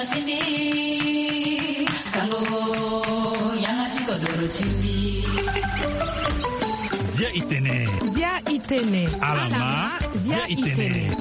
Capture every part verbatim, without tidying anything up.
Timbi, sango, yanga ti kodoro timbi. Zia itene. Zia itene. Alama, zia itene.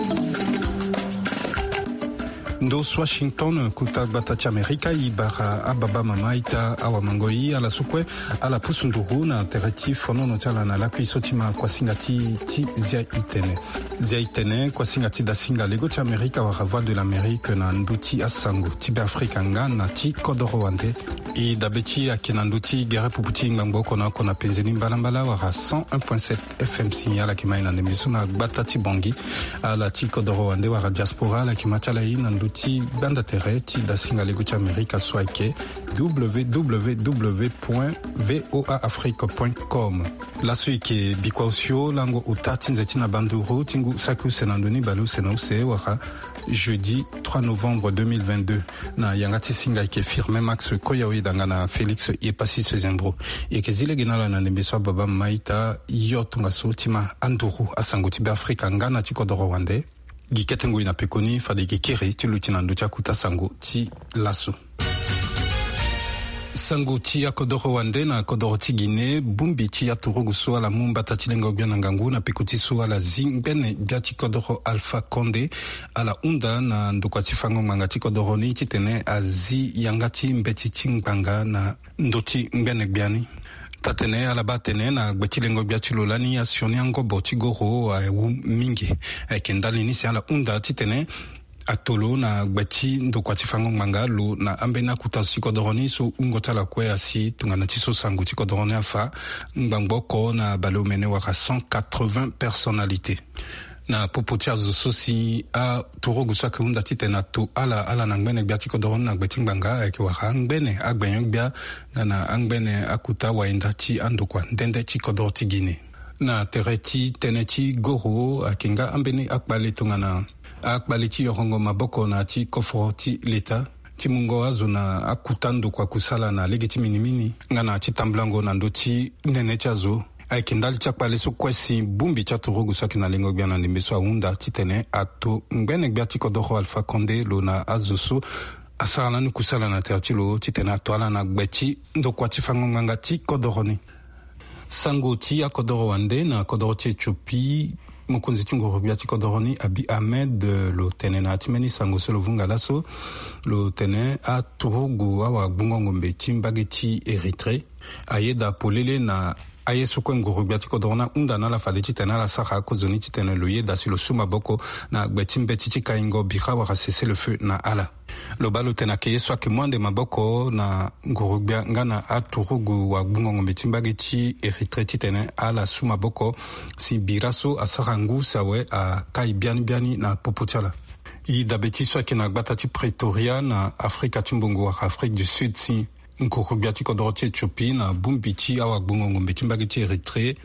Ndo so Washington, kuta gbata ti Amerika, i bara ababa mama ita awamango i ala so kue, ala pusu nduru na tere ti fonono ti ala na lakui so ti ma kuasinga ti, ti zia itene. Zia itene, kuasinga ti dasinga lego ti Amerika wala Voix de l'Amérique na ndö ti asango ti Beafrika nga na ti kodoro wande. E dabe ti ayeke na ndö ti gere pupu ti ngbangbo oko na oko na penze ni mbalambala wala cent un point sept F M si ala yeke ma e na ndembe so na gbata ti Bangui. Ala ti kodoro wande wala diaspora ala yeke ma ti ala e na ndö ti gbanda tere ti dasinga lego ti Amerika so ayeke W W W point V O A Afrique point com. Laso e yeke bikua osio lango ota ti nze ti na banduru ti ngu saki use na ndo ni bale use na use wala jeudi trois novembre deux mille vingt-deux. Na yanga ti singa e yeke Firmin Max Koya Oyedanga na Félix Yepassis Sezembro. E yeke zi lege na ala na ndembe so ababa mama ita, yo tongaso ti ma anduru asango ti Beafrika nga na ti kodoro wande. Gi kete ngoi na pekoni fade gi kiri ti luti na ndö ti akuta sango ti laso. Sango ti akodoro wande na kodoro ti Guinée, bongbi ti aturugu so ala mu mbata ti lengo gbia na ngangu na peko ti so ala zi ngbene gbia ti kodoro Alpha Condé, ala hunda na ndokua ti fango ngbanga ti kodoro ni titene azi yanga ti mbeti ti ngbanga na ndö ti ngbene gbia ni. Taa-tene ala baa atene na gbe ti lengo gbia ti lo lani asioni angobo ti goro awu mingi. Ayeke ndali ni si ala hunda titene ato lo na gbe ti ndokua ti fango ngbanga lo na ambeni akuta zo ti kodoro ni so wungo ti ala kue asi tongana ti so sango ti kodoro ni afa ngbangbo oko na baleomene wala cent quatre-vingts personnalités. Na popo ti azo so si aturugu so ayeke hunda titene ato ala ala na ngbene gbia ti kodoro ni na gbe ti ngbanga ayeke wara angbene agbenyo-gbia nga na angbene akuta wayenda ti andokua nde nde ti kodoro ti Guinée. Na tere ti tënë ti goro ayeke nga ambeni akpale tongana akpale ti yorongo maboko na ti koforo ti leta ti mungo azo na akuta ndokua kusala na lege ti minimini nga na ti tambulango na ndö ti nene ti azo. Ayeke ndali ti akpale so kue si bongbi ti aturugu so ayeke na lengo gbia na ndembe so ahunda titene ato ngbene gbia ti kodoro Alpha Condé lo na azo so asara lani kusala na tere ti lo titene ato ala na gbe ti ndokua ti fango ngbanga ti kodoro ni. Sango ti akodoro wande na kodoro ti Éthiopie, mokonzi ti nguru-gbia ti kodoro ni Abiy Ahmed, eh, lo tene na ya ti mbeni sango so lo vunga laso, lo tene aturugu awagbungo ngombe ti mbage ti Érythrée ayeda polele na aye so kue nguru-gbia ti kodoro ni ahunda na ala fade titene ala sara akozoni titene lo yeda si lo su maboko na gbe ti mbeti ti kaingo bira wala cessez-le-feu na ala. Lo baa lo tene ayeke ye so ayeke mu ande maboko na nguru-gbia nga na aturugu wagbungo ngombe ti mbage ti Érythrée titene ala su maboko si bira so asara ngu si awe akai biani biani na popo ti ala. E dabe ti so ayeke na gbata ti Pretoria na Afrika ti mbongo wala Afrique du Sud si nguru-gbia ti kodoro ti Éthiopie na bongbi ti awagbungo ngombe ti mbage ti Érythrée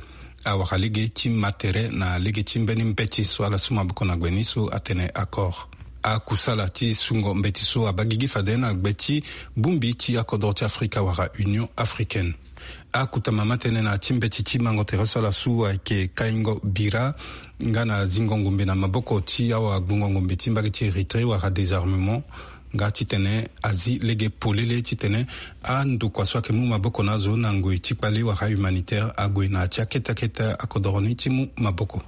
awara lege ti ma tere na lege ti mbeni mbeti so ala su maboko na gbe ni so atene accord. Akusala ti sungo mbeti so abaa gigi fade na gbe ti bongbi ti akodoro ti Afrika wala Union africaine. Akota mama tënë na ya ti mbeti ti mango tere so ala su ayeke kaingo bira nga na zingo ngombe na maboko ti awagbungo ngombe ti mbage ti Érythrée wala désarmement. Nga titene azi lege polele titene andokua so ayeke mu maboko na azo na ngoi ti kpale wala humanitaire ague na ya ti akete akete akodoro ni ti mu maboko.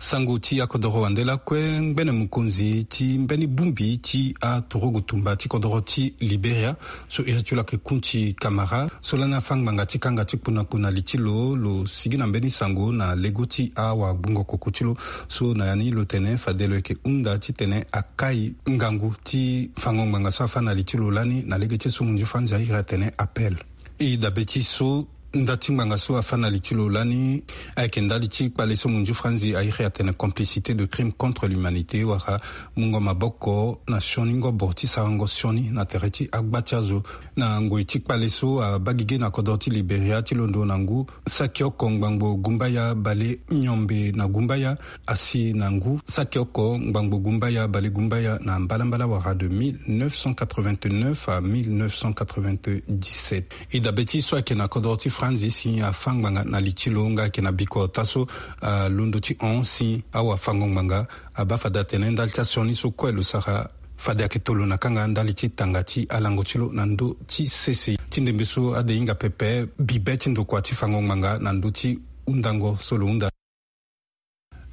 Sango ti akodoro wande lakue, ngbene mokonzi ti mbeni bongbi ti aturugu tumba ti kodoro ti Liberia so iri ti lo ayeke Kunti Kamara so lani afâ ngbanga ti kanga ti kpunakpu na li ti lo, lo sigi na mbeni sango na lego ti awagbungo koko ti lo so na ya ni lo tene fade lo yeke hunda titene akai ngangu ti fango ngbanga so afâ na li ti lo lani na lege ti so munzu franzi airi atene appel. E dabe ti so nda ti ngbanga so afâ na li ti lo lani ayeke ndali ti kpale so munzu franzi airi atene complicité de crime contre l'humanité wala mungo maboko na sioni ngobo ti sarango sioni na tere ti agba ti azo. Na ngoi ti kpale so abaa gigi na kodro ti Liberia ti londo na ngu saki oko ngbangbo gumbaya bale miombe na gumbaya, asi na ngu saki oko ngbangbo gumbaya bale gumbaya na mbalambala wara de mille neuf cent quatre-vingt-neuf à mille neuf cent quatre-vingt-dix-sept. E dabe ti so ayeke na kodro ti Franzi si afâ ngbanga na li ti lo nga ayeke na biko ota so, ah, londo ti hon si awafango ngbanga abaa fade atene ndali ti asioni so kue lo sara Fade ayeke tolo na kanga ndali ti tanga ti alango ti lo na ndö ti sese ti ndembe so ade hinga pepe bibe ti ndokua ti fango ngbanga na ndö ti hundango so lo hunda.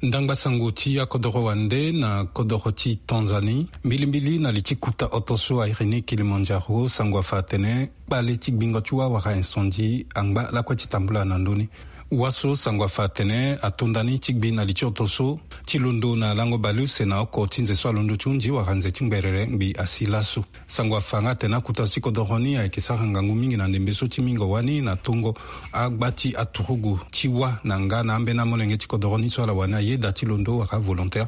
Ndangba sango ti akodoro wande na kodoro ti Tanzanie, mbilimbili na li ti kuta oto so airi ni Kilimanjaro, sango afa atene kpale ti gbingo ti wâ wala incendie angba lakue ti tambula na ndö ni. Wâ so sango afa atene ato nda ni ti gbi na li ti oto so ti londo na lango baleuse na oko ti nze so alondo ti hunzi wala nze ti ngberere ngbi asi laso. Sango afa nga atene akuta so ti kodoro ni ayeke sara ngangu mingi na ndembe so ti mingo wani na tongo agba ti aturugu ti wâ na nga na ambeni amolenge ti kodoro ni so ala wani ayeda ti londo wala avolontaire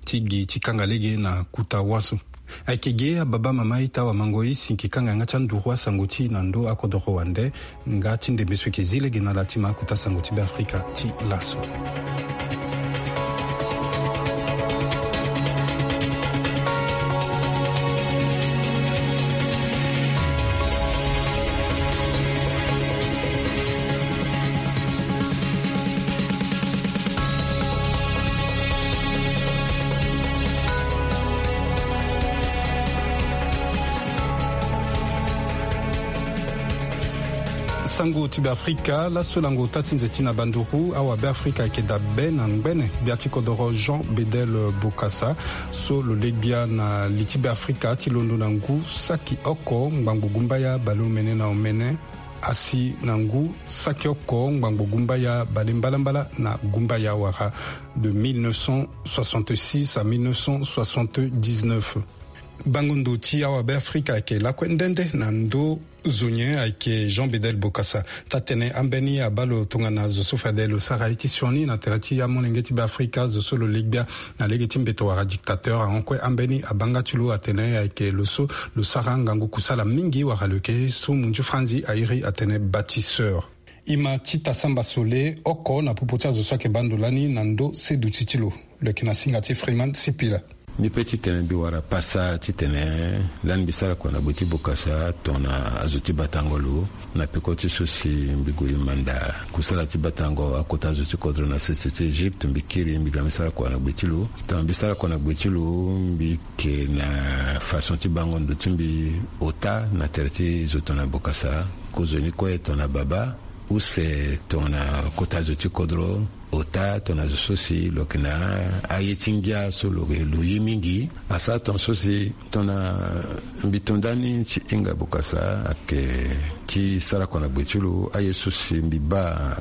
ti gi ti kanga lege na kuta wâ so. Ayeke ge ababa mama ita wamango e si yeke kanga yanga ti anduru asango ti e na ndö akodoro wande. Nga ti ndembe so yeke zi lege na ala ti ma akuta sango ti Beafrika ti laso. Sango ti Beafrika laso lango ota ti nze ti na banduru awa Beafrika ayeke dabe na ngbene gbia ti kodoro Jean Bedel Bokassa so lo le gbia na li ti Beafrika ti londo na ngu saki oko ngbangbo gumbaya baleomene na omene asi na ngu saki oko ngbangbo gumbaya balembalambala na gumbaya wara de mille neuf cent soixante-six à mille neuf cent soixante-dix-neuf. Bango ndo ti awa Beafrika ayeke lakue nde nde na ndö zo nyen ayeke Jean Bedel Bokassa. Taa-tene ambeni abaa lo tongana zo so fade lo sara ye ti sioni na tere ti amolenge ti Beafrika zo so lo le gbia na lege ti mbeto wala dictateur ahon kue ambeni abanga ti lo atene ayeke lo so lo sara ngangu kusala mingi wala lo yeke so munzu franzi airi atene bâtisseur. E ma ti tasamba sole oko na popo ti azo so ayeke baa ndo lani na ndö seduti ti lo. Lo yeke na singa ti Freeman Sipila. Mbi pe titene mbi wara pasa titene lani mbi sara kua na gbe ti Bokassa tongana azo ti batango lo na peko ti so si mbi gue manda kusala ti batango akota azo ti kodro na sese ti Egypte, mbi kiri mbi ga mbi sara kua na gbe ti lo. Tongana mbi sara kua na gbe ti lo, mbi yeke na façon ti bango ndo ti mbi ota na tere ti zo tongana Bokassa, kozoni kue tongana baba use tongana kota zo ti kodro, ota tongana zo so si lo yeke na aye ti ngia so lo, lo ye mingi. Asara tongana so si tongana mbi to nda ni ti hinga Bokassa ayeke ti sara kua na gbe ti lo, aye so si mbi baa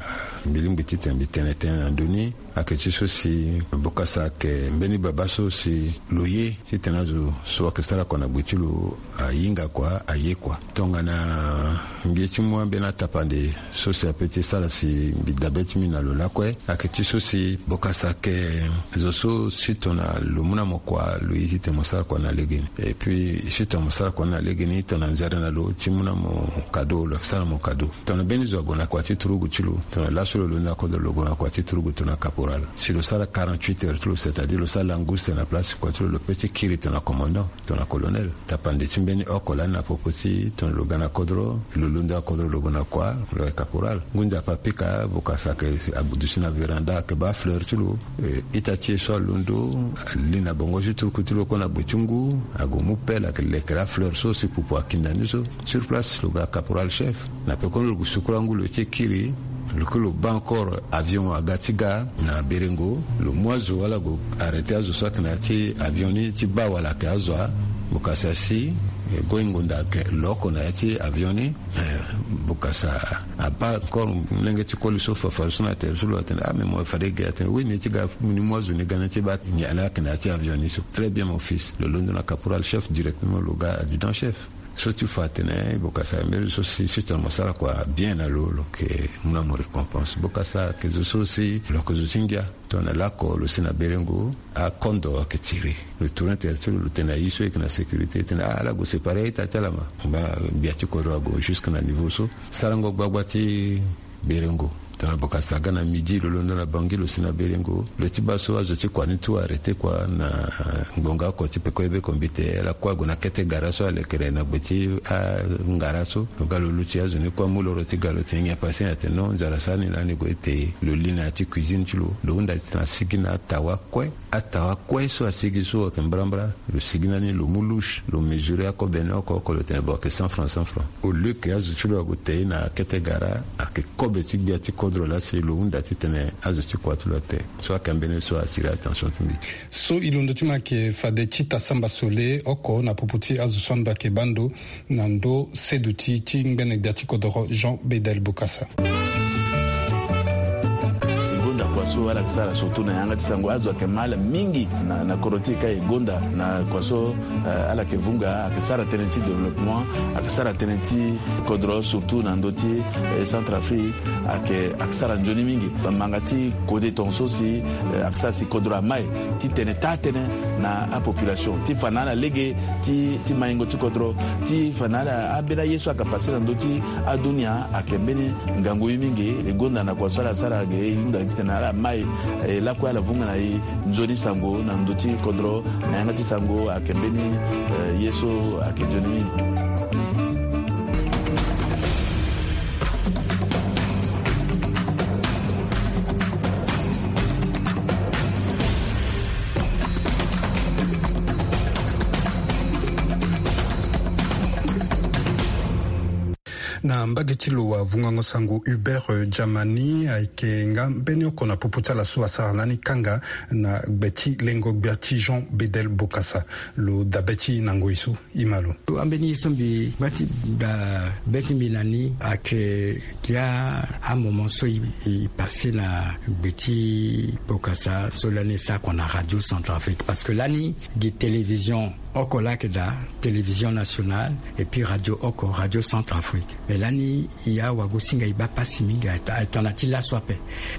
mbi lingbi titene mbi tene tënë na ndö ni. Ayeke ti so si Bokassa ayeke mbeni baba so si lo ye titene azo so ayeke sara kua na gbe ti lo ahinga kua, aye kua. Tongana mbi ye ti mu ambeni atapande so si ape ti sara si mbi dabe ti mbi na lo lakue, ayeke ti so si Bokassa ayeke zo so si tongana lo mu na mo kua lo ye titene mo sara kua na legeni. Et puis si tongana mo sara kua na legeni, tongana nzere na lo ti mu na mo kado, lo yeke sara mo kado. Tongana mbeni zo ague na kua ti turugu ti lo, tongana laso lo londo na kodro lo gue na kua ti turugu tongana caporal, si lo sara quarante-huit heures ti lo, c'est-à-dire lo sara langouste na place ti kua ti lo, lo pe ti kiri tongana commandant, tongana colonel. Tapande ti mbeni oko lani na popo ti tongana lo ga na kodro, lo londo na kodro lo gue na kua, lo yeke caporal. Ngu nzapa apika, Bokassa ayeke aduti na véranda, ayeke baa afleur ti lo. Eh, ita ti e so alondo, ali na bongo ti turuku ti lo kue na gbe ti ngu, ague mu pelle, ayeke lekere afleur so si pupu akinda ni so. Sur place lo ga caporal chef. Na pekoni lo gue sukula ngu lo ye ti kiri, lo kue lo baa encore avion aga ti ga na Berengo, lo mu azo wala gue arrêter azo so ayeke na ya ti avion ni ti baa wala ayeke azo a. Bokassa si, eh, go hingo nda ayeke lo oko na ya ti avion ni. Eh, Bokassa abaa encore molenge ti koli so fafari so na tere so lo atene, ah, mais mo fade ge? Atene oui, ni ye ti ga, ni mu azo ni ga na ya ti baa nyen ala ayeke na ya ti avion ni so. Très bien mon fils. Lo londo na caporal chef directement, lo ga adjudant chef. So ti fa atene Bokassa mbeni so si, si tongana mo sara kua bien na lo, lo yeke mu na mo récompense. Bokassa ayeke zo so si lo yeke zo ti ngia. Tongana lako lo si na Berengo, akondo ayeke tiri. Lo tourner tere ti lo, lo tene na ye so e yeke na sécurité, e tene ah, ala gue séparer a-ita ti ala ma. Ba gbia ti kodro ague jusque na niveau so. Sarango gbagba ti Berengo. Tongana Bokassa aga na midi, lo londo na Bangui, lo si na Berengo. Lo ti baa so azo ti kua ni tout arrêté kua na ngbonga oko ti peko ye be kombi te. Ala kue ague na kete gara so alekere na gbe ti angara so. Lo ga lo luti azo ni kue amu loro ti ga lo tene nyen apassé, atene non, nzara asara ni lani. Gue ti lo li na ya ti cuisine ti lo. Lo hunda titene asigi na atawa kue. Atawa kue so asigi so ayeke mbrambra. Lo sigi na ni, lo mu louche, lo mesurer akobe ni oko oko, lo tene bon, ayeke cent francs, cent francs. Au lieu que azo ti lo ague te na kete gara, ayeke kobe ti gbia ti kodro laa si lo hunda titene azo ti kua ti lo ate. So ayeke ambeni so a attirer attention ti mbi. So e londo ti mo ayeke fade ti ta samba sole oko na popo ti azo so ando ayeke baa ndo na ndö seduti ti ngbene gbia ti kodoro Jean Bedel Bokassa. E gonda kua so ala yeke sara surtout na yanga ti sango. Azo ayeke ma ala mingi na, na kodro ti e ka. E gonda na kua so, eh, ala yeke vunga, ayeke sara tënë ti développement, ayeke sara tënë ti kodro, surtout na ndö ti, eh, Centrafrique. Ayeke, ayeke sara nzoni mingi. Manga ti kode tongaso si, eh, ayeke sara si kodro amai ti tene taa tënë na apopulation, ti fa na ala lege ti, ti maingo ti kodro, ti fa na ala ambeni aye so ayeke pase na ndö ti adunia. Ayeke mbeni ngangu ye mingi. E gonda na kua so ala sara ge, e hunda titene ala mai, eh, lakue ala vunga na e nzoni sango na ndö ti kodro. Na yanga ti sango ayeke mbeni, eh, ye so ayeke nzoni mingi. Na mbage ti lo, wavungango sango Hubert, eh, Germany ayeke nga mbeni oko na popo ti ala so asara lani kanga na gbe ti lengo gbia ti Jean Bedel Bokassa. Lo dabe ti e na ngoi so. E ma lo. Ambeni ye so mbi ngba ti da be ti mbi na ni ayeke ya amoment so e, e passé na gbe ti Bokassa so lani e sara kua na Radio Centrafrique, parce que lani gi télévision oko laa ayeke daa, télévision nationale, et puis radio oko, Radio Centrafrique. Mais lani e ya wagosinga e baa pasi mingi, aye to-, aye tongana ti laso ape.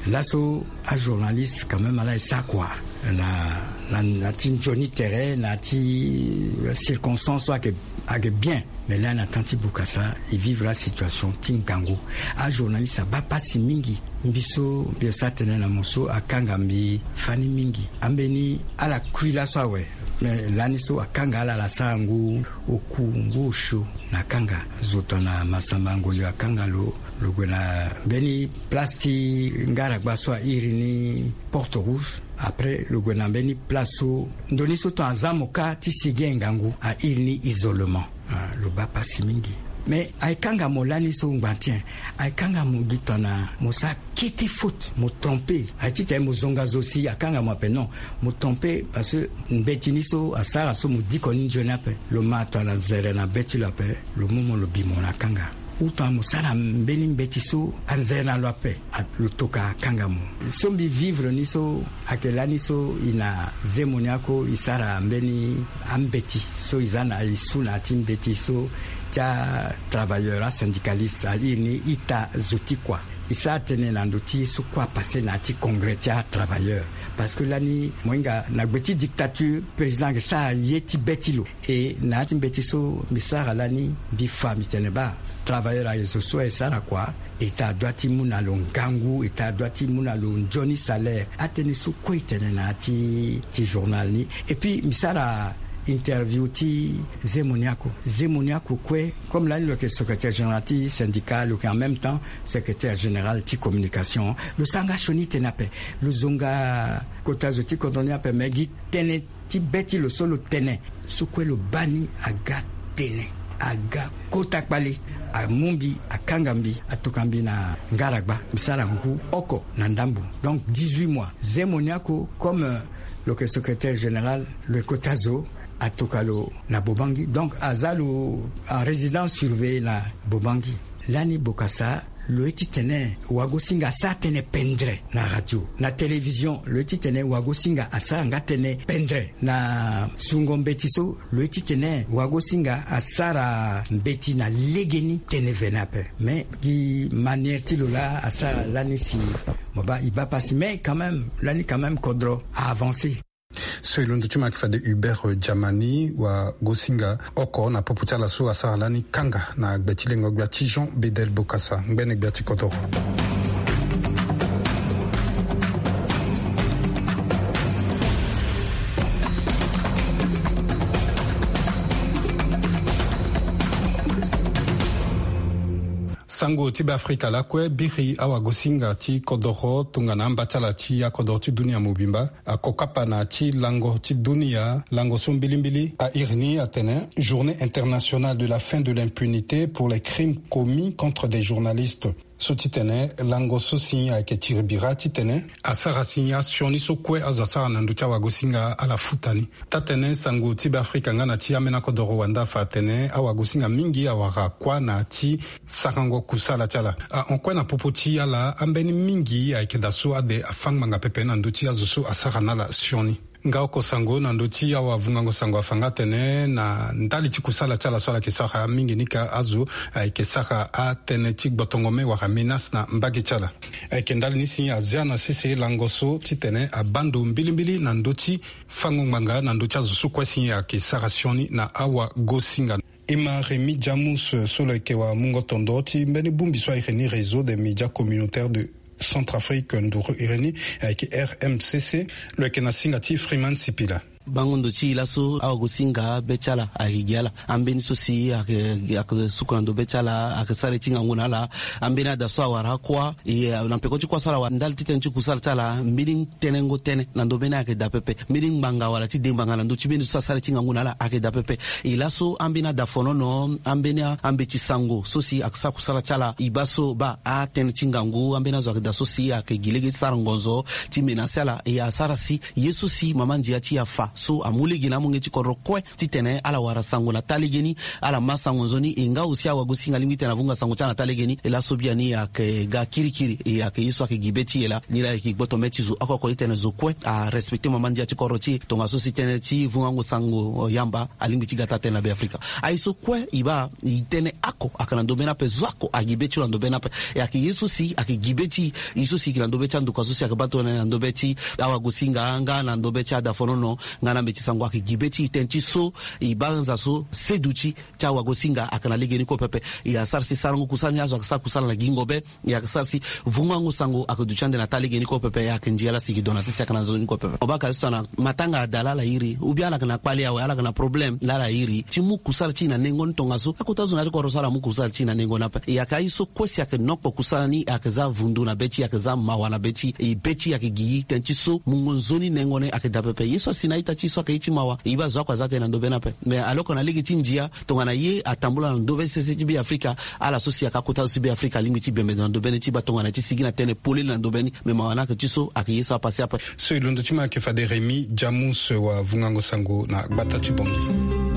Laso ajournaliste quand même ala e sara kua na, na, na ti nzoni tere, na ti circonstance so ayeke, ayeke bien. Mais lani na temps ti Bokassa e vivre asituation ti ngangu. Ajournaliste abaa pasi mingi. Mbi so mbi sara tënë na mo so akanga mbi fani mingi. Ambeni ala kui laso awe. Mais lani so akanga ala, ala sara ngu oku, ngu osio na kanga. Zo tongana Massamba Ngoyo akanga lo, lo gue na mbeni place ti ngaragba so a iri ni Porte Rouge. Après lo gue na mbeni place so ndo ni so tongana aza mo kâ ti sigi ngangu, a iri ni isolement. Ah, lo baa pasi mingi. Mais aye kanga mo lani so ngba ti nyen? Aye kanga mo gi tongana mo sara kete faute, mo trompé. Aye titene mo zonga zo si akanga mo ape, non. Mo trompé parce que mbeti ni so asara so mo diko ni nzoni ape. Lo ma tongana nzere na be ti lo ape, lo mu mo lo bi mo na kanga. Ou tongana mo sara mbeni mbeti so anzere na lo ape, a, lo toka akanga mo. So mbi vivre ni so ayeke lani so e na Zemoniako e sara mbeni ambeti so e za na e su na ya ti mbeti so ti atravailleur, asyndicaliste, a iri ni ita zo ti kua. E sara tënë na ndö ti so kue apase na ya ti congrès ti atravailleur. Parce que lani mo hinga na gbe ti dictature, président ayeke sara ye ti be ti lo. E na ya ti mbeti so mbi sara lani, mbi fa mbi tene baa travailleur aye zo so aye sara kua, État adoit ti mu na lo ngangu, État adoit ti mu na lo nzoni salaire. Atënë so kue e tene na ya ti, ti journal ni. Et puis mbi sara interview ti Zemoniako. Zemoniako kue, comme lani lo yeke secrétaire général ti syndicat, lo yeke en même temps secrétaire général ti communication. Lo sara nga sioni tënë ape. Lo zo nga kota zo ti kodro ni ape, me gi tënë ti be ti lo so lo tene. So kue lo baa ni aga tene, aga kota kpale. Amu mbi, akanga mbi, atoka mbi na ngaragba. Mbi sara ngu oko na ndambo, donc dix-huit mois. Zemoniako, comme, euh, lo yeke secrétaire général, lo yeke kota zo, atoka lo na Bobangi. Donc aza lo en résidence surveillée na Bobangi. Lani Bokassa, lo ye ti tene wagosinga asara tënë pendre na radio, na télévision. Lo ye ti tene wagosinga asara nga tënë pendre na sungo mbeti so. Lo ye ti tene wagosinga asara mbeti na legeni, tënë vene ape. Mais gi manière ti lo laa asara lani si mo baa e baa pasi. Mais quand même, lani quand même kodro a avancé. So e londo ti mo ayeke fade Hubert, euh, Germany, wagosinga oko na popo ti ala so asara lani kanga na gbe ti lengo gbia ti Jean Bedel Bokassa, ngbene gbia ti kodoro. Sango ti Beafrika lakue biri awagosinga ti kodoro tongana amba ti ala ti akodoro ti dunia mobimba akokapa na ti lango ti dunia, lango so mbilimbili a iri ni atene Journée internationale de la fin de l'impunité pour les crimes commis contre des journalistes. So titene lango so si ayeke tiri bira titene asara si asioni so kue azo asara na ndö ti awagosinga ala futa ni. Taa-tënë sango ti Beafrika nga na ti ambeni akodoro wanda afa atene awagosinga mingi awara kuâ na ti sarango kusala ti ala. Ahon kue na popo ti ala ambeni mingi ayeke daa so ade afâ ngbanga pepe na ndö ti azo so asara na ala sioni. Nga oko sango na ndö ti awavungango sango afa nga atene na ndali ti kusala ti ala so ala yeke sara mingi ni ka azo ayeke sara atënë ti gbotongo me wala menace na mbage ti ala. Ayeke ndali ni si azia na sese lango so titene abaa ndo mbilimbili na ndö ti fango ngbanga na ndö ti azo so kue si ayeke sara sioni na awagosinga. E ma Rémy Djamus so lo yeke wamungo tondo ti mbeni bongbi so a iri ni Réseau des médias communautaires de Centrafrique, nduru iri ni ayeke R M C C, lo yeke na singa ti Freeman Sipila. Bango ndo ti e laso awagosinga be ti ala ayeke gi ala. Ambeni so si ayeke, ayeke suku na ndo be ti ala, ayeke sara ye ti ngangu na ala. Ambeni ada so awara kuâ, e, na peko ti kuâ so ala wara ndali ti tënë ti kusala ti ala, mbeni tënëngo tënë na ndo mbeni ayeke daa pepe. Mbeni ngbanga wala ti de ngbanga na ndö ti mbeni so asara ye ti ngangu na ala ayeke daa pepe. E laso ambeni ada fonono, ambeni a, ambeti sango so si ayeke sara kusala ti ala, e baa so baa atënë ti ngangu, ambeni azo ayeke daa so si ayeke gi lege ti sara ngonzo ti menace ala, e asara si ye so si mama ndia ti e afa so amu lege na amolenge ti kodro kue titene ala wara sango na taa legeni, ala ma sango nzoni, e nga aussi awagosinga alingbi titene avunga sango ti ala na taa legeni. E laso biani ayeke ga kirikiri, e ayeke ye so ayeke gi be ti e laa. Ni laa e yeke gboto me ti zo oko oko titene zo kue arespecte mama ndia ti kodro ti e. Tongaso si tënë ti vungango sango yamba alingbi ti ga taa-tënë na Beafrika. Aye so kue e baa e tënë oko ayeke na ndo mbeni ape, zo oko agi be ti lo na ndo mbeni ape. E ayeke ye so si ayeke gi be ti e, ye so si e yeke na ndo be ti anduka so si ayeke baa tongana na ndo be ti awagosinga nga na ndo be ti ada fonono nga na mbeti sango ayeke gi be ti e tënë ti so e baa nza so seduti ti awagosinga ayeke na legeni kue pepe. E asara si sarango kusala ni azo ayeke sara kusala na gingo be. E ayeke sara si vungango sango ayeke duti ande na taa legeni kue pepe. E ayeke ndia ala si e gi ndo na sese ayeke na nzoni kue pepe. Mo baa ka so tongana matanga ada laa ala iri, ou bien ala yeke na kpale awe, ala yeke na problème laa ala iri ti mu kusala ti e na nengo ni tongaso akota zo na ya ti kodro so ala mu kusala ti e na nengo ni ape. E ayeke aye so kue si ayeke nokpo kusala ni ayeke za vundu na be ti e, ayeke za mawa na be ti e. E be ti e ayeke gi tënë ti so mungo nzoni nengo ni ayeke daa pepe. Ye so asi na a-ita ti e so ayeke ye ti mawa, e baa zo oko aza tënë na ndo be ni ape. Mais alors que na lege ti ndia, tongana ye atambula na ndo be sese ti Beafrika, ala so si ayeke akota zo ti Beafrika alingbi ti bembe ndo na ndo be ni ti baa tongana ti sigi na tënë polele na ndo be ni. Mais mawa ni ayeke ti so ayeke ye so apase ape. So e londo ti mo ayeke fade Rémy Djamus wavungango sango na gbata ti Bangui.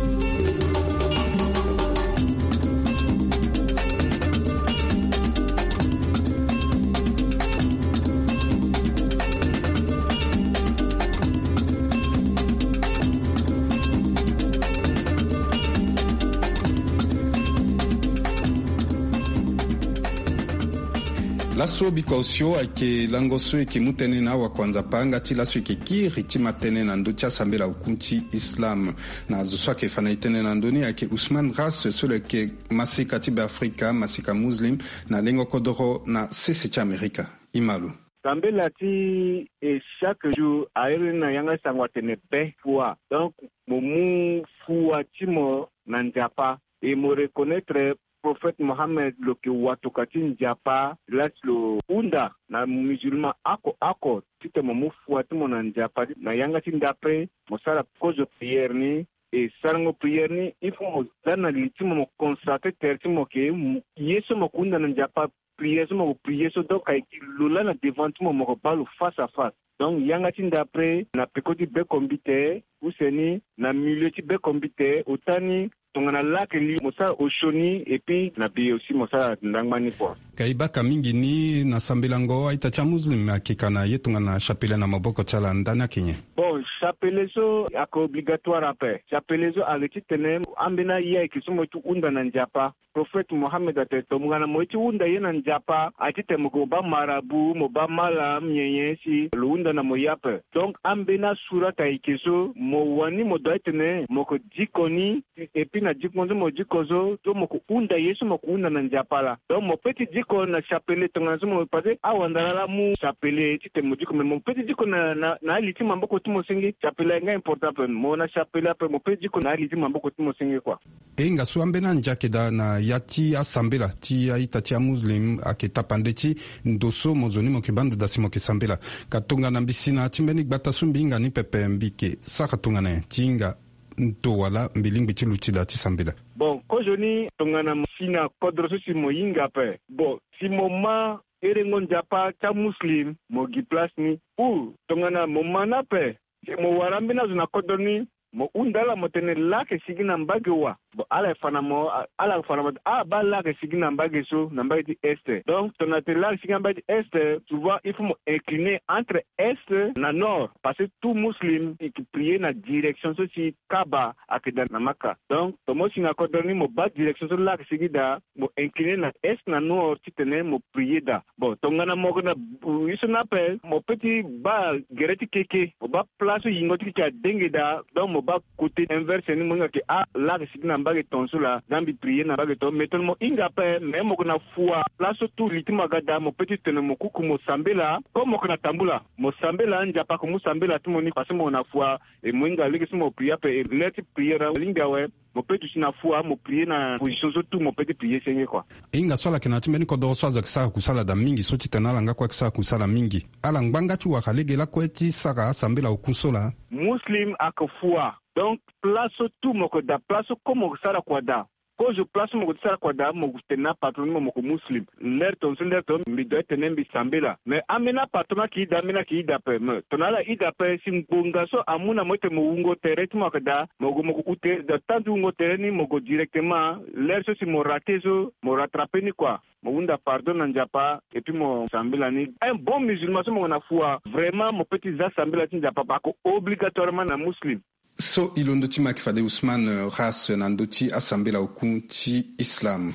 Laso bikua osio ayeke lango so e yeke mu tënë na awakuanzapa nga ti laso e yeke kiri ti ma tënë na ndö ti asambela hukun ti Islam. Na zo so ayeke fa na e tënë na ndö ni ayeke Ousmane Ras so lo yeke maseka ti Beafrika, maseka muslim na lengo kodoro na sese ti Amerika. E ma lo. Sambela ti e chaque jour a iri ni na yanga ti sango atene be fua. Donc mo mu fua ti mo na Nzapa. E mo reconnaître Prophète Mohammed lo yeke watoka ti Nzapa laa ti lo hunda na musulman oko oko titene mo mu fua ti mo na Nzapa. Na yanga ti ndapre mo sara kozo prière ni. E sarango prière ni, il faut mo za na li ti mo, mo consacrer tere ti mo ke, ye so mo yeke hunda na Nzapa, prière so mo yeke prier so, donc ayeke lo laa na devant ti mo, mo yeke baa lo face à face. Donc yanga ti ndapre na peko ti beko mbite, use ni na milieu ti beko mbite, ota ni tongana laa ayeke li mo sara osio ni, et puis na bi aussi mo sara ndangba ni kua. Ka e baka mingi ni na sambelango a-ita ti amuslim ayeke ka na ye tongana chapelet na maboko ti ala, ndani ayeke nyen? Bon, chapelet so ayeke obligatoire ape. Chapelet so ayeke titene ambeni aye ayeke so mo ye ti hunda na Nzapa. Prophète Mohammed atene tongana mo ye ti hunda ye na Nzapa, Nzapa atitene mo ke mo baa marabu, mo baa malam nyenye si lo hunda na mo ye ape. Donc ambeni asuraka eke so mo wani mo doit titene mo ke diko ni. Et puis na diko so mo diko so so mo ke hunda ye so mo ke hunda na Nzapa laa. Donc mo pe ti diko na chapelet tongana so mo, parce que awandara laa amu chapelet titene mo diko, mais mo pe ti diko na na na ali ti maboko ti mo senge. Chapelet ayeke nga important ape, mo na chapelet ape mo pe ti diko na ali ti maboko ti mo senge kua. E hinga so ambeni andia ayeke daa na ya ti asambela ti a-ita ti amuslim ayeke tapande ti ndo so mo zo ni mo yeke baa ndo daa si mo yeke sambela. Ka tongana mbi si na ya ti mbeni gbata so mbi hinga ni pepe, mbi yeke sara tongana nyen ti hinga ndo wala mbi lingbi ti luti daa ti sambela? Bon, kozoni tongana mo si na kodro so si mo hinga ape, bon, si mo ma herengo Nzapa ti amuslim, mo gi place ni. Ou tongana mo ma ni ape, si mo wara ambeni azo na kodro ni, mo hunda ala mo tene laa ayeke sigi na mbage wa. Bon, ala yeke fa na mo, ala yeke fa na mo, ah, baa laa ayeke sigi na mbage so, na mbage ti est. Donc tongana tene laa ayeke sigi na mbage ti est, souvent il faut mo incliner entre est na nord, parce que tout muslim i yeke prier na direction so si Kaaba ayeke daa na Maka. Donc tongana mo si na kodro ni mo baa direction so laa ayeke sigi daa, mo incliner na est na nord titene mo prier daa. Bon, tongana mo yeke na, uh, ye so ni ape, mo pe ti baa gere ti keke, mo baa place so yingo ti keke adenge daa. Donc mo baa côté inverse ni, mo hinga ke, ah, laa ayeke sigi na mbage tongaso laa, da mbi prier na mbage tongaso. Mais tongana mo hinga ape, mais mo yeke na fua place so tout li ti mo aga daa, mo pe ti tene mo kuku mo sambela. Comme mo yeke na tambula, mo sambela, Nzapa ayeke mu sambela ti mo ni, parce que mo yeke na fua. E mo hinga lege so mo prier ape, e l'heure ti prier alingbi awe. Mo pe duti na fua, mo prier na position so tout mo pe ti prier senge kua. E hinga so ala yeke na ya ti mbeni kodoro so azo ayeke sara kusala daa mingi so titene ala nga kue ayeke sara kusala mingi. Ala ngba nga ti wara lege lakue ti sara asambela oku so laa? Muslim ayeke fua. Donc place so tout mo yeke daa, place so comme mo yeke sara kua daa. Kozo place so mo yeke sara kua daa, mo yeke tene na apatron ni mo, mo yeke muslim. L'heure tongaso, l'heure tongaso mbi doit tene mbi sambela. Mais ambeni apatron ayeke daa, ambeni ayeke daa ape. Mais tongana ala daa ape, si ngbonga so amu na mo titene mo wungo tere ti mo ayeke daa, mo yeke, mo yeke hu tere daa, temps ti wungo tere ni mo yeke directement. L'heure so si mo rater so, mo rattraper ni kua. Mo hunda pardon na Nzapa, et puis mo sambela ni. Un bon musulman so mo yeke na fua, vraiment mo pe ti za sambela ti Nzapa, parce que obligatoirement na muslim. So e londo ti maki fade Ousmane, euh, Ras na ndö ti asambela oku ti Islam.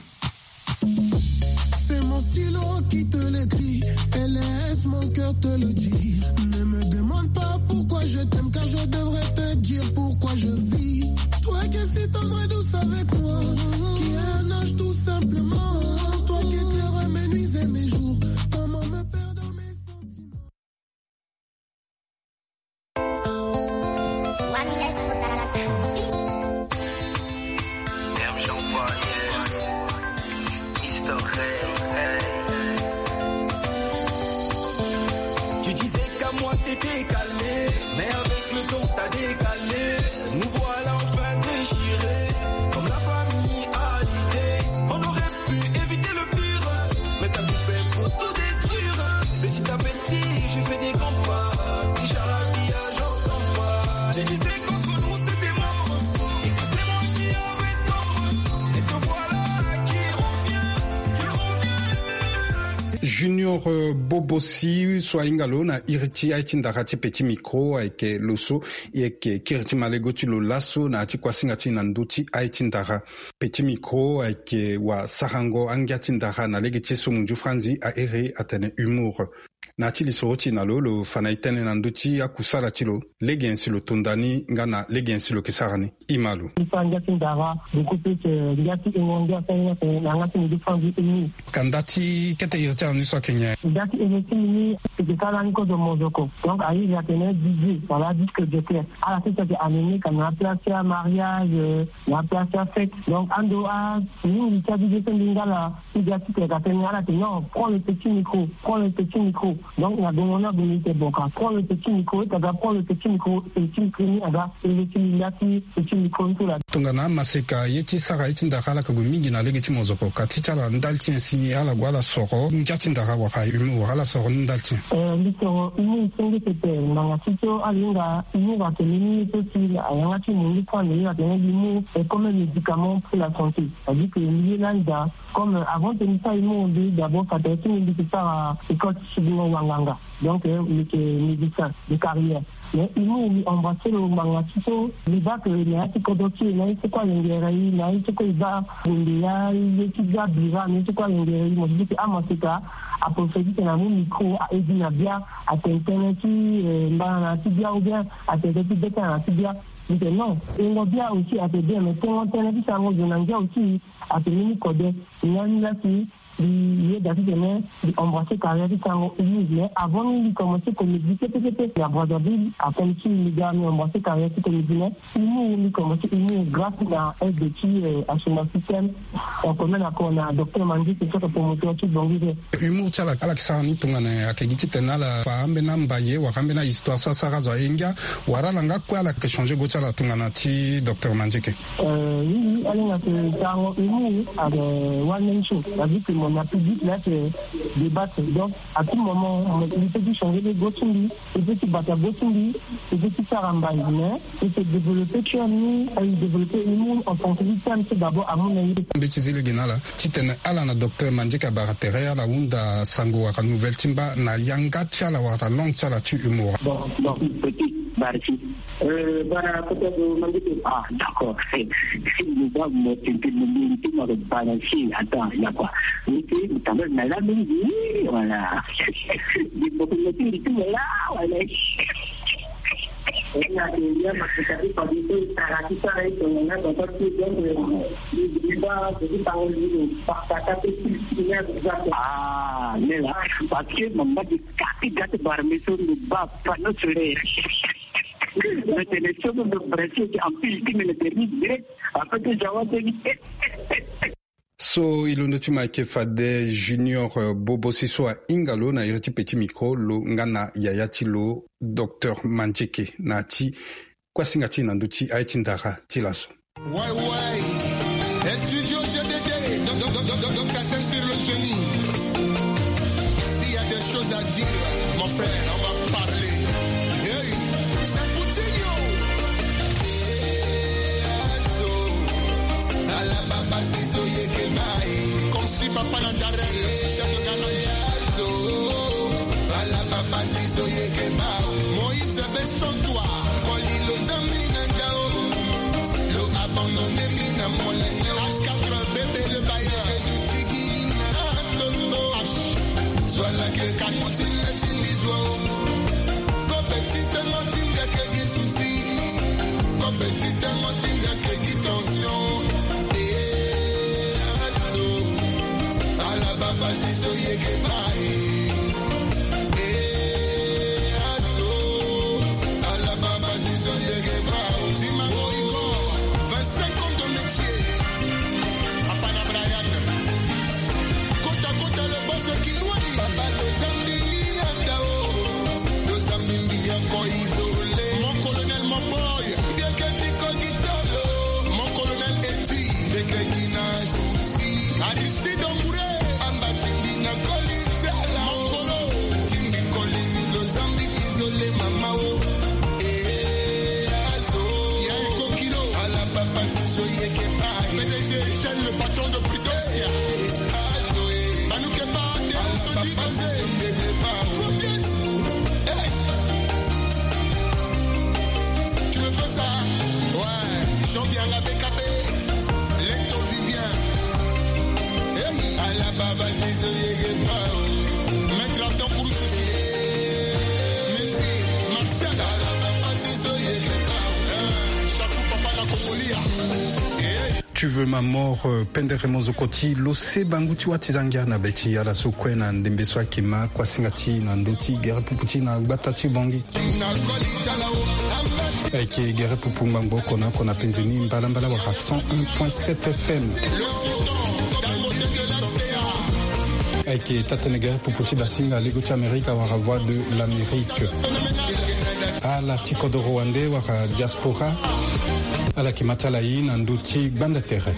C'est mon stylo qui te l'écrit et laisse mon cœur te le dire. Ne me demande pas pourquoi je t'aime, car je devrais te dire pourquoi je vis. Toi qui es si tendre et douce avec moi, qui est un ange tout simplement. Toi qui éclaires mes nuits et mes jours, comment me perdre dans mes sentiments. Tu disais qu'à moi t'étais calé, mais avec le temps t'as décalé. Nous voilà enfin déchirés, comme la famille a l'idée. On aurait pu éviter le pire, mais t'as tout fait pour tout détruire. Petit à petit, je fais des grands pas. Déjà la vie, j'entends pas. Tu disais qu'entre nous c'était mort, et que c'est moi qui avais tort. Et te voilà qui revient, qui revient. Junior, euh, Bobosi so ahinga lo na iri ti aye ti ndara ti Petit Micro ayeke lo so e yeke kiri ti malego ti lo laso na ya ti kuasinga ti e na ndö ti aye ti ndara. Petit Micro ayeke wasarango angia ti ndara na lege ti so munzu franzi a iri atene humour. Na ya ti lisoro ti e na lo, lo fa na e tënë na ndö ti akusala ti lo, lege nyen si lo tonda ni nga na lege nyen si lo yeke sara ni. E ma lo. Mbi sara ngia ti ndara, beaucoup plus, euh, ngia ti e mo ngia asara ni atene na yanga ti munzu franzi humour. Ka nda ti kete iri ti ala ni so ayeke nyen? Nda ti iri ti mbi ni, e yeke sara lani kozo mozoko. Donc a iri atene D J wala disque jockey. Ala so si ayeke animé ka na place ti amariage, euh, na place ti afête. Donc ando a mingi ti a D J so mbi nga laa, ti ga ti tene ka tene ala tene non, prends le petit micro, prends le petit micro. Donc na gongo ni ague mbi tene bon, ka prends le petit micro, e ta ga prends le petit micro, petit micro ni aga e le ti mbi nda ti petit micro ni so laa. Tongana amaseka ye ti sara ye ti ndara ala yeke gue mingi na lege ti mozoko, ka ti ti ala ndali ti nyen si ala gue ala soro ngia ti ndara wala humour, ala soro ni ndali ti nyen? Eh, mbi soro humour senge pepe, ngbanga ti so ala hinga humour atene ni ye so si ayanga ti mundu so ande ye atene humour est comme un médicament pour la santé. C'est-à-dire que mbi ye lani daa, comme, euh, avant tene mbi sara humour, mbi d'abord fa tere ti mbi mbi yeke sara école ti sidingo wanganga. Donc, euh, mbi yeke médecin de carrière. Mais humour mbi embrasser lo ngbanga ti so mbi baa que na ya ti kodro ti e na Ye so kue alengere i na ye so kue i baa, bende ya ye ti bia bira na ye so kue alengere i mo si ti amaseka. Aprophétique na mu micro a edi na bia, atene tënë ti mbana na ti bia ou bien atene tënë ti beta na ti bia. Mbi tene non, tengo bia aussi ate bien, mais tengo tënë ti sango zo na ngia aussi ate ni ni kode. Nga ni la si mbi yeda titene mbi embrasser carrière ti sango humour, mais avant ni mbi commencer comédie kete kete na Brazzaville. Akomi ti mbi ga mbi embrasser carrière ti comédie, mais humour mbi commencer humour grâce na aide ti Asuma Système, en commun accord na docteur Mangi, c'est ça que promoteur ti Bongi. Humour ti ala ala yeke sara ni tongana ayeke gi titene ala fa ambeni ambaye wala ambeni ahistoire so asara azo aye ngia, wala ala nga kue ala yeke changer go ti ala tongana ti docteur Mangi eke. Euh, oui, oui, ala hinga ke sango humour avec one man show. Ça veut dire que mon public là, c'est débattre. Donc, à tout moment, il peut changer de go ti mbi, il peut bata go ti mbi, il peut sara mbai, mais il peut développer, tu as mis, il développer humour en tant que système, c'est d'abord à mon avis. Mbi ti zi lege na ala titene ala na docteur Mangi eke abara tere ala hunda sango wala nouvelle ti mba na yanga ti ala wala langue ti ala ti humour. Bon, bon, petit, merci. Euh, bara kota do mandi ko, ah, d'accord. Si mo ba mo tente mo mérité mo ba na si, attends, ya quoi. Mérité mo tamba na la mingi, voilà. Di mo ko mérité mo la, voilà. Ina ke ya ma ko ta ko di ko ta ra ti ta ra ko na ko ta ti donc di ba ko ti ta ko di ko pa ta ta ti ti ya ko. Ah, mais là, parce que mo ba di ka ti ga ti bara mi so mo ba pa no sore. Mete le somo ndo presse ti empile ti mene derni direct. Après ti jawa teni. So e londo ti ma ayeke fade Junior, euh, Bobo si so ahinga lo na iri ti petit micro lo nga na yaya ti lo docteur Mangi eke na ya ti kuasinga ti e na ndö ti aye ti ndara ti laso. Ouais, ouais. Studio G D D, donc, donc, donc, donc, donc, sur le génie. S'il y a des choses à dire, mon frère, on va parler. Hey, c'est Coutinho. Hey, Azo. Ala baba zizo yeke mai. Comme si papa na Darel, chef de Ghana. Azo. Ala baba zizo yeke mai. Moïse Besson, toi. Koli lo zambi na ndao. Lo abandonné mi na molenge. H quatre bébé le bailleur. Tigi na tombo. H. Zwala ke kakuti na tindi zwa. Ko petit tango tinga ke gi souci. Ko petit tango tinga ke gi tension. Eh, alo. Ala baba zizo yeke bai. Eh, ato. Ala baba zizo yeke bai. Tima Boyko, vingt-cinq ans de métier. Papa na Brian. Kota, kota, le boss Kinwani. Papa, lo zambi anda o. Lo zambi mbi ya ko isolé. Mon colonel, mon boy. Bieke ti ko gitolo. Mon colonel Eti. Bieke ti na souci. Aristide Ombouré. Amba ti mbi na koli ti ala. Mon colo. Ti mbi koli ni lo zambi isolé mama o. Eh, azo. Ya e kokilo. Ala papa zizo yeke bai. P D G Eugène, le patron de Pridosia. Azo, eh. Manu Keba, Théo Sodi, José. Hey. Tu me fais ça? Ouais. Jean Bianga B K B. Leto Vivien. Hey. Ala baba zizo yeke bai. Maître Abdon Kouroussousi. Messi, Martial. Ala baba zizo yeke bai. Chakou papa na Kokolia. Hey. Tu veux ma mort, euh, pendere mozoko ti lo se bangu ti wâ ti zangia na be ti ala so kue na ndembe so ayeke ma kuasinga ti na ndö ti gere pupu ti na gbata ti Bongi. Ayeke gere pupu ngbangbo oko na oko na penze ni mbalambala wala cent un point sept F M. Ayeke taa-tënë gere pupu ti dasinga lego ti Amerika wala Voix de l'Amérique. Ala ti kodoro wande wala diaspora. Ala yeke ma ti ala ye na ndö ti gbanda tere.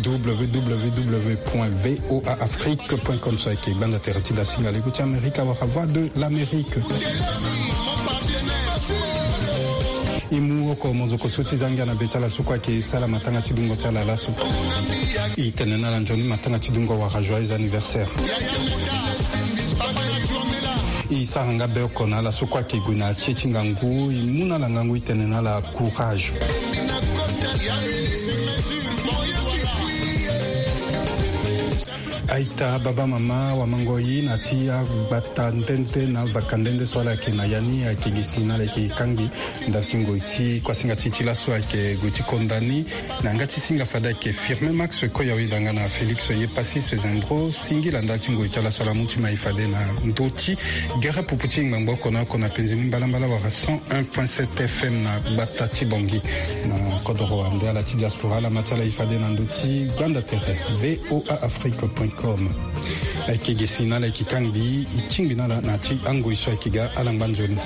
W W W point V O A Afrique point com so ayeke gbanda tere ti dasinga lego ti Amerika wala Voix de l'Amérique. E mu oko mozoko so ti zangia na be ti ala so kue ayeke sara matanga ti dungo ti ala laso. E tene na ala nzoni matanga ti dungo wala joyeux anniversaire. E sara nga be oko na ala so kue ayeke gue na tie ti ngangu, e mu na ala ngangu, e tene na ala courage. Aita baba mama wamangoi na ti agbata ndende na vaka ndende so ala yeke na ya ni ayeke gi si na ala yeke kangbi ndali ti ngoi ti kuasinga ti ti laso ayeke gue ti konda ni. Na yanga ti singa fade ayeke Firmin Max Koyawe danga na Félix Yepasis Zembro singila ndali ti ngoi ti ala so ala mu ti mai fade na ndö ti gere pupu ti ngbangbo oko na oko na penzi ni mbalambala wala cent un point sept F M na gbata ti Bangui. Na kodoro ande ala ti diaspora ala ma ti ala e fade na ndö ti gbanda tere V O A Afrique point com. Ayeke gi si na ala yeke kangbi e tingbi na ala na ti angoi so ayeke ga ala ngba nzoni.